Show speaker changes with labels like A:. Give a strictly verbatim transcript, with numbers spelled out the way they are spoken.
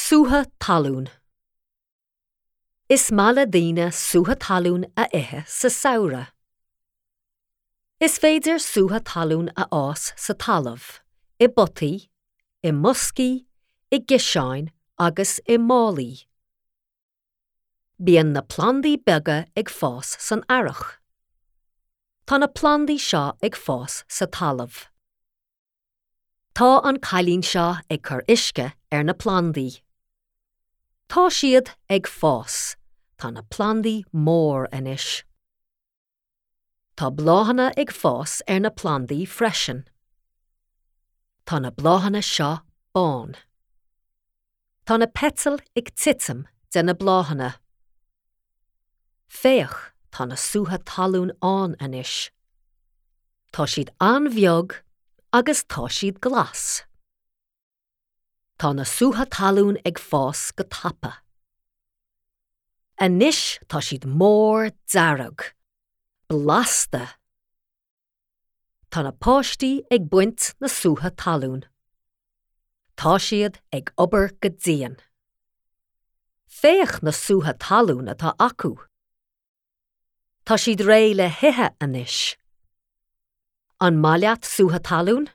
A: Sútha talún. Is maith le daoine sútha talún a ithe sa samhradh. Is féidir sútha talún a fhás sa talamh, i bpotaí, i mboscaí, i gciseáin agus i málaí. Bíonn na plandaí beaga ag fás san earrach. Tá na plandaí seo ag fás sa talamh. Tá an cailín seo ag cur uisce ar na plandaí. Tá siad ag fás, tá na plandaí mór anois. Tá bláthanna ag fás ar na plandaí freisin. Tá na bláthanna seo bán. Tá na peitail ag titim de na bláthanna. Féach tá na sútha talún ann anois. Tá siad an-bheag agus tá siad glas. Tá na sútha talún ag fás go tapa. Anois tá siad mór dearg, blasta. Tá na páistí ag baint na sútha talún. Tá siad ag obair go dian. Féach na sútha talún atá acu. Tá siad réidh le hithe anois. An maith leat sútha talún?